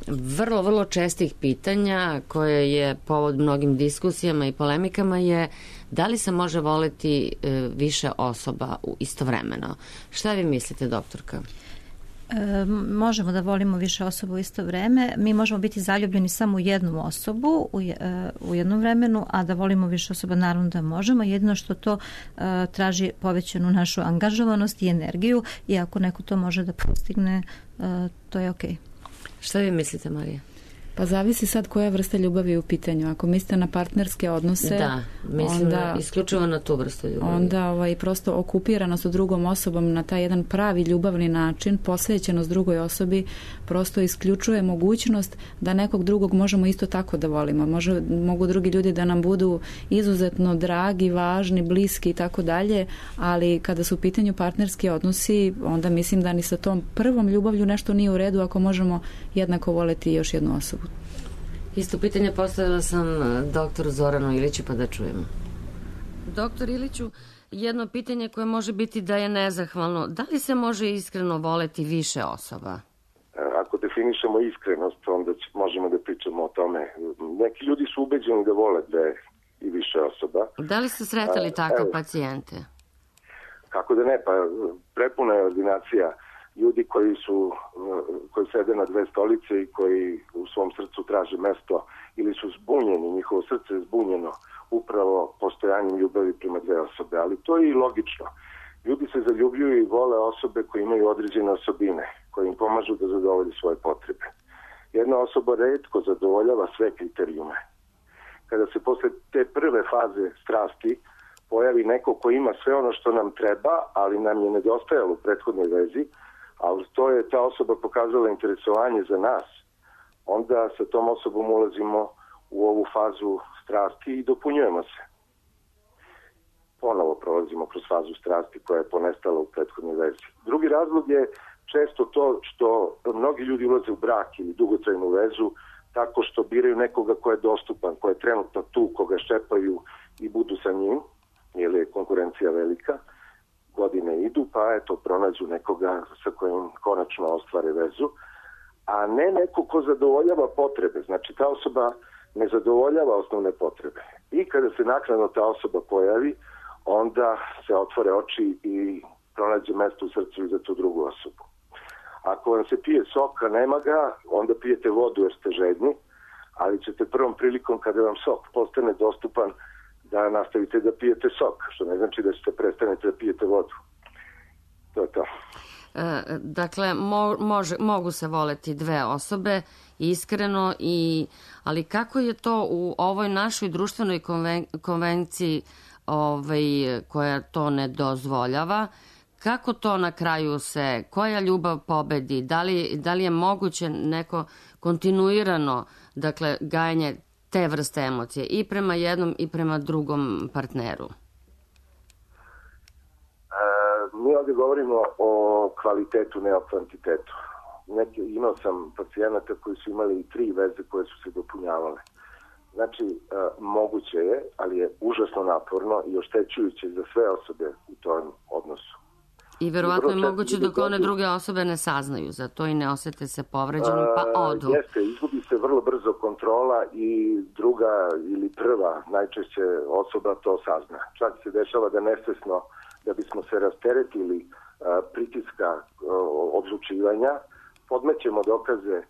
vrlo, vrlo čestih pitanja koje je povod mnogim diskusijama i polemikama je da li se može voleti više osoba istovremeno. Šta vi mislite, doktorka? Možemo da volimo više osoba u isto vreme. Mi možemo biti zaljubljeni samo u jednu osobu u jednom vremenu, a da volimo više osoba naravno da možemo. Jedino što to traži povećanu našu angažovanost i energiju i ako neko to može da postigne, to je okej. Šta vi mislite, Marija? Pa zavisi sad koja vrsta ljubavi je u pitanju. Ako mislite na partnerske odnose, da, mislim onda, isključivo na tu vrstu ljubavi. Onda prosto okupiranost od drugom osobom na taj jedan pravi ljubavni način, posvećenost drugoj osobi, prosto isključuje mogućnost da nekog drugog možemo isto tako da volimo. Mogu drugi ljudi da nam budu izuzetno dragi, važni, bliski i tako dalje, ali kada su u pitanju partnerski odnosi, onda mislim da ni sa tom prvom ljubavlju nešto nije u redu ako možemo jednako voleti još jednu osobu. Isto pitanje postavila sam doktoru Zoranu Iliću, pa da čujemo. Doktor Iliću, jedno pitanje koje može biti da je nezahvalno. Da li se može iskreno voleti više osoba? Ako definišemo iskrenost, onda možemo da pričamo o tome. Neki ljudi su ubeđeni da vole dve i više osoba. Da li ste sretali takve pacijente? Kako da ne, pa prepuna je ordinacija ljudi koji sede na dve stolice i koji u svom srcu traže mesto ili su zbunjeni, njihovo srce je zbunjeno upravo postojanjem ljubavi prema dve osobe, ali to je i logično. Ljudi se zaljubljuju i vole osobe koje imaju određene osobine, koje im pomažu da zadovolje svoje potrebe. Jedna osoba retko zadovoljava sve kriterijume. Kada se posle te prve faze strasti pojavi neko ko ima sve ono što nam treba, ali nam je nedostajalo u prethodnoj vezi, ali to je ta osoba pokazala interesovanje za nas, onda sa tom osobom ulazimo u ovu fazu strasti i dopunjujemo se. Ponovo prolazimo kroz fazu strasti koja je ponestala u prethodnoj vezi. Drugi razlog je često to što mnogi ljudi ulaze u brak ili dugotrajnu vezu tako što biraju nekoga ko je dostupan, ko je trenutno tu, koga ščepaju i budu sa njim, jer je konkurencija velika. Godine idu, pa eto, pronađu nekoga sa kojim konačno ostvare vezu, a ne neko ko zadovoljava potrebe. Znači, ta osoba ne zadovoljava osnovne potrebe. I kada se naknadno ta osoba pojavi, onda se otvore oči i pronađe mesto u srcu i za tu drugu osobu. Ako vam se pije sok, a nema ga, onda pijete vodu jer ste žedni, ali ćete prvom prilikom kada vam sok postane dostupan da nastavite da pijete sok, što ne znači da ćete prestanete da pijete vodu. To je to. Dakle, mogu se voleti dve osobe iskreno, ali kako je to u ovoj našoj društvenoj konvenciji koja to ne dozvoljava. Kako to na kraju koja ljubav pobedi? Da li je moguće neko kontinuirano, dakle, gajanje te vrste emocije i prema jednom i prema drugom partneru? Mi ovdje govorimo o kvalitetu, ne o kvantitetu. Imao sam pacijenata koji su imali 3 veze koje su se dopunjavale. Znači, moguće je, ali je užasno naporno i oštećujuće za sve osobe u tom odnosu. I verovatno je moguće dok one druge osobe ne saznaju za to i ne osete se povređenim, pa odu. Jeste, izgubi se vrlo brzo kontrola i druga ili prva najčešće osoba to sazna. Čak se dešava da nesvesno, da bismo se rasteretili pritiska odlučivanja, podmećemo dokaze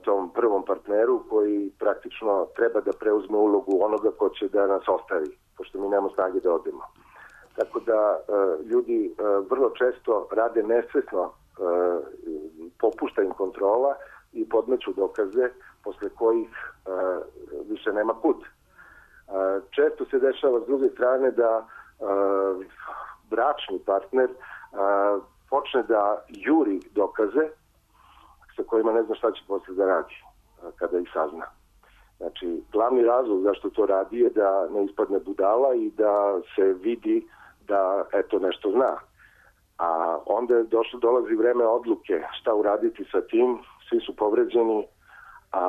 tom prvom partneru koji praktično treba da preuzme ulogu onoga ko će da nas ostavi, pošto mi nemamo snage da odemo. Tako da ljudi vrlo često rade nesvesno, popušta im kontrola i podmeću dokaze posle kojih više nema kud. Često se dešava s druge strane da bračni partner počne da juri dokaze sa kojima ne zna šta će posle da radi kada ih sazna. Znači, glavni razlog zašto to radi je da ne ispadne budala i da se vidi da eto nešto zna. A onda dolazi vreme odluke šta uraditi sa tim, svi su povređeni, a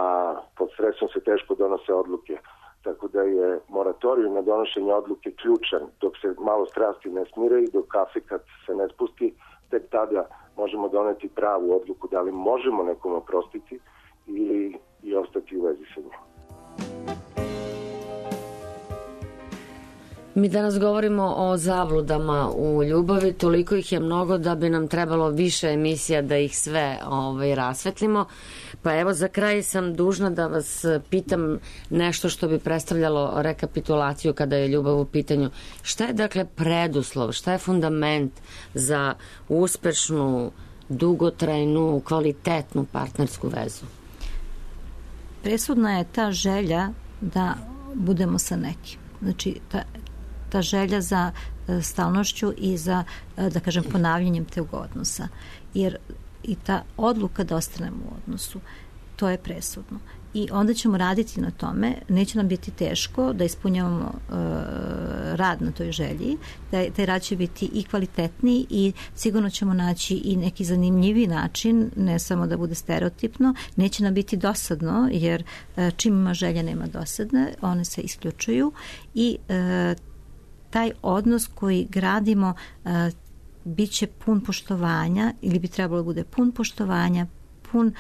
pod stresom se teško donose odluke. Tako da je moratorijum na donošenje odluke ključan dok se malo strasti ne smire i dok kafe kad se ne spusti, tek tada možemo doneti pravu odluku da li možemo nekom oprostiti ili i ostati u vezi sa njim. Mi danas govorimo o zabludama u ljubavi, toliko ih je mnogo da bi nam trebalo više emisija da ih sve rasvetlimo. Pa evo, za kraj sam dužna da vas pitam nešto što bi predstavljalo rekapitulaciju kada je ljubav u pitanju. Šta je dakle preduslov, šta je fundament za uspešnu, dugotrajnu, kvalitetnu partnersku vezu? Presudna je ta želja da budemo sa nekim. Znači, ta želja za stalnošću i za, da kažem, ponavljanjem tog odnosa. Jer i ta odluka da ostanemo u odnosu, to je presudno. I onda ćemo raditi na tome, neće nam biti teško da ispunjavamo rad na toj želji, taj rad će biti i kvalitetniji i sigurno ćemo naći i neki zanimljivi način, ne samo da bude stereotipno, neće nam biti dosadno, jer čim ima želja nema dosadne, one se isključuju i taj odnos koji gradimo bit će pun poštovanja ili bi trebalo da bude pun poštovanja, pun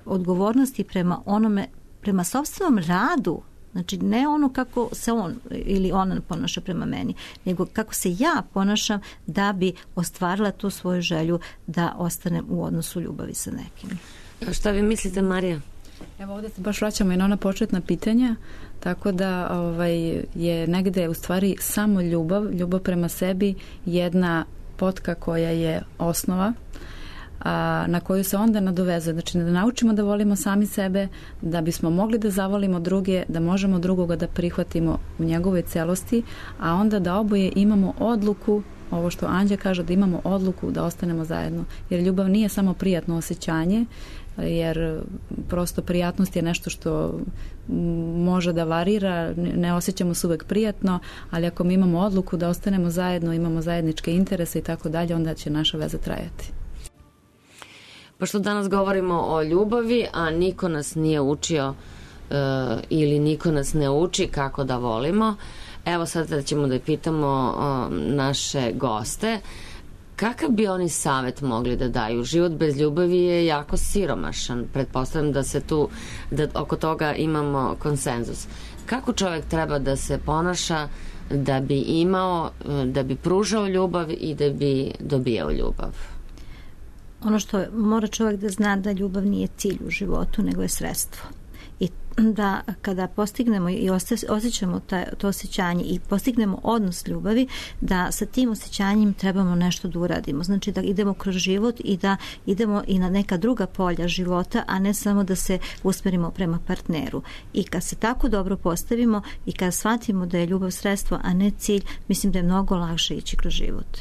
odgovornosti prema onome, prema sopstvenom radu. Znači, ne ono kako se on ili ona ponaša prema meni, nego kako se ja ponašam da bi ostvarila tu svoju želju da ostanem u odnosu ljubavi sa nekim. Šta vi mislite, Marija? Evo, ovdje se baš vraćamo i na ona početna pitanja, tako da je negde u stvari samo ljubav prema sebi jedna potka koja je osnova, na koju se onda nadovezuje. Znači, da naučimo da volimo sami sebe, da bismo mogli da zavolimo druge, da možemo drugoga da prihvatimo u njegovoj celosti, a onda da oboje imamo odluku, ovo što Anđa kaže, da imamo odluku da ostanemo zajedno. Jer ljubav nije samo prijatno osjećanje, jer prosto prijatnost je nešto što može da varira, ne osjećamo se uvek prijatno, ali ako mi imamo odluku da ostanemo zajedno, imamo zajedničke interese i tako dalje, onda će naša veza trajati. Pošto danas govorimo o ljubavi, a niko nas nije učio ili niko nas ne uči kako da volimo, evo sad ćemo da pitamo naše goste kakav bi oni savet mogli da daju. Život bez ljubavi je jako siromašan. Pretpostavljam da se tu, da oko toga imamo konsenzus. Kako čovjek treba da se ponaša da bi imao, da bi pružao ljubav i da bi dobijao ljubav? Ono što mora čovjek da zna da ljubav nije cilj u životu, nego je sredstvo. i da kada postignemo i osjećamo to osjećanje i postignemo odnos ljubavi, da sa tim osjećanjem trebamo nešto da uradimo. Znači da idemo kroz život i da idemo i na neka druga polja života, a ne samo da se usmerimo prema partneru. I kad se tako dobro postavimo i kad shvatimo da je ljubav sredstvo, a ne cilj, mislim da je mnogo lakše ići kroz život.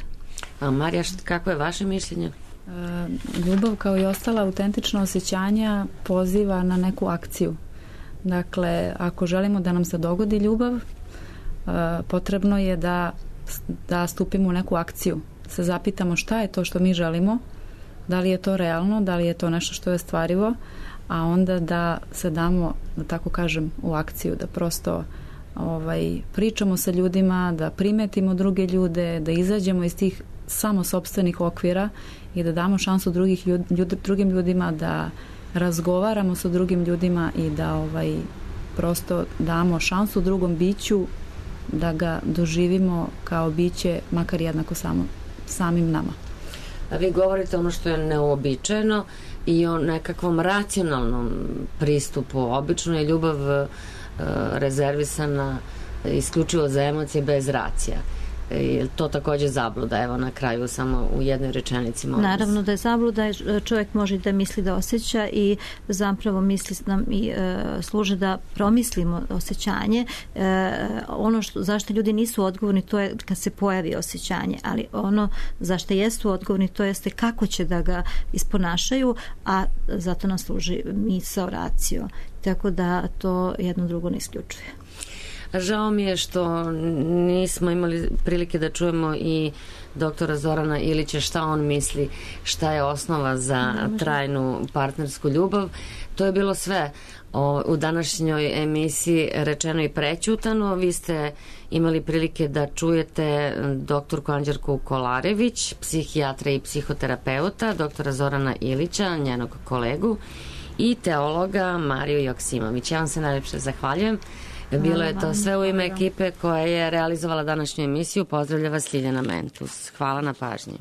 A Marija, kako je vaše mišljenje? Ljubav kao i ostala autentična osjećanja poziva na neku akciju. Dakle, ako želimo da nam se dogodi ljubav, potrebno je da stupimo u neku akciju. Se zapitamo šta je to što mi želimo, da li je to realno, da li je to nešto što je stvarivo, a onda da se damo, da tako kažem, u akciju, da prosto pričamo sa ljudima, da primetimo druge ljude, da izađemo iz tih samo sopstvenih okvira i da damo šansu drugim ljudima, da razgovaramo sa drugim ljudima i da prosto damo šansu drugom biću da ga doživimo kao biće makar jednako samim nama. A vi govorite ono što je neuobičajeno i o nekakvom racionalnom pristupu. Obično je ljubav rezervisana isključivo za emocije bez racija. Je to također zabluda? Evo na kraju samo u jednoj rečenici. Naravno da je zabluda. Čovjek može da misli da osjeća i zapravo misli nam i služe da promislimo osjećanje. Ono zašto ljudi nisu odgovorni, to je kad se pojavi osjećanje, ali ono zašto jesu odgovorni, to jeste kako će da ga isponašaju, a zato nam služi misao, racio. Tako da to jedno drugo ne isključuje. Žao mi je što nismo imali prilike da čujemo i doktora Zorana Ilića šta on misli, šta je osnova za trajnu partnersku ljubav. To je bilo sve u današnjoj emisiji Rečeno i prećutano. Vi ste imali prilike da čujete doktorku Anđelku Kolarević, psihijatra i psihoterapeuta, doktora Zorana Ilića, njenog kolegu, i teologa Mariju Joksimović. Ja vam se najljepše zahvaljujem. Bilo je to sve u ime ekipe koja je realizovala današnju emisiju. Pozdravlja vas Ljiljana Mentus. Hvala na pažnji.